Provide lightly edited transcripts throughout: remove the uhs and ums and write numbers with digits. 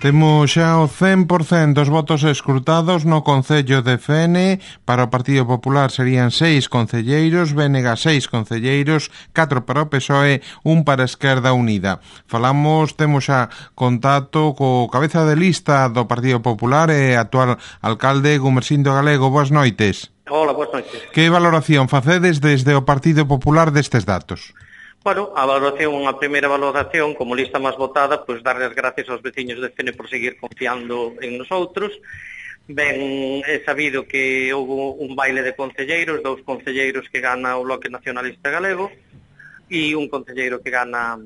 Temos xa o 100% dos votos escrutados no Concello de Fene. Para o Partido Popular serían 6 concelleiros, BNG 6 concelleiros, 4 para o PSOE, 1 para a Esquerda Unida. Temos xa contacto co cabeza de lista do Partido Popular e actual alcalde Gumersindo Galego. Boas noites. Hola, boas noites. Que valoración facedes desde o Partido Popular destes datos? Bueno, a primeira valoración, como lista máis votada, pois darle as gracias aos veciños de Fene por seguir confiando en nosotros. Ben, é sabido que houve un baile de concelleiros, 2 concelleiros que gana o Bloque Nacionalista Galego e un concelleiro que gana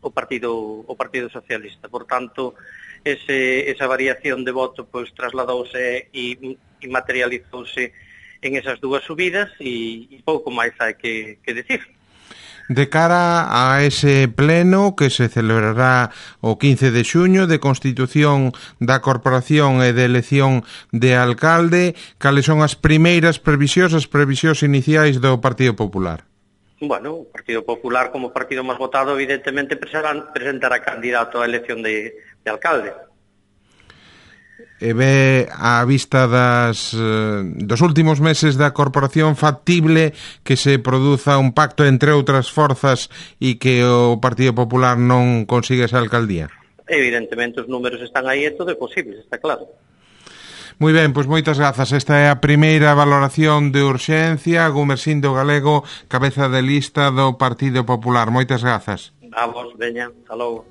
o Partido Socialista. Por tanto, esa variación de voto pois trasladouse e materializouse en esas dúas subidas e pouco máis hai que decir. De cara a ese pleno que se celebrará o 15 de xuño de constitución da corporación e de elección de alcalde, cales son as primeiras previsións, as previsións iniciais do Partido Popular? Bueno, o Partido Popular, como partido máis votado, evidentemente presentará candidato á elección de alcalde. E ve á vista dos últimos meses da corporación factible que se produza un pacto entre outras forzas e que o Partido Popular non consiga esa alcaldía? Evidentemente os números están aí e todo é posible, está claro. Moi ben, pois moitas grazas. Esta é a primeira valoración de urxencia. Gumersindo Galego, cabeza de lista do Partido Popular. Moitas grazas. A vos, veña, hasta logo.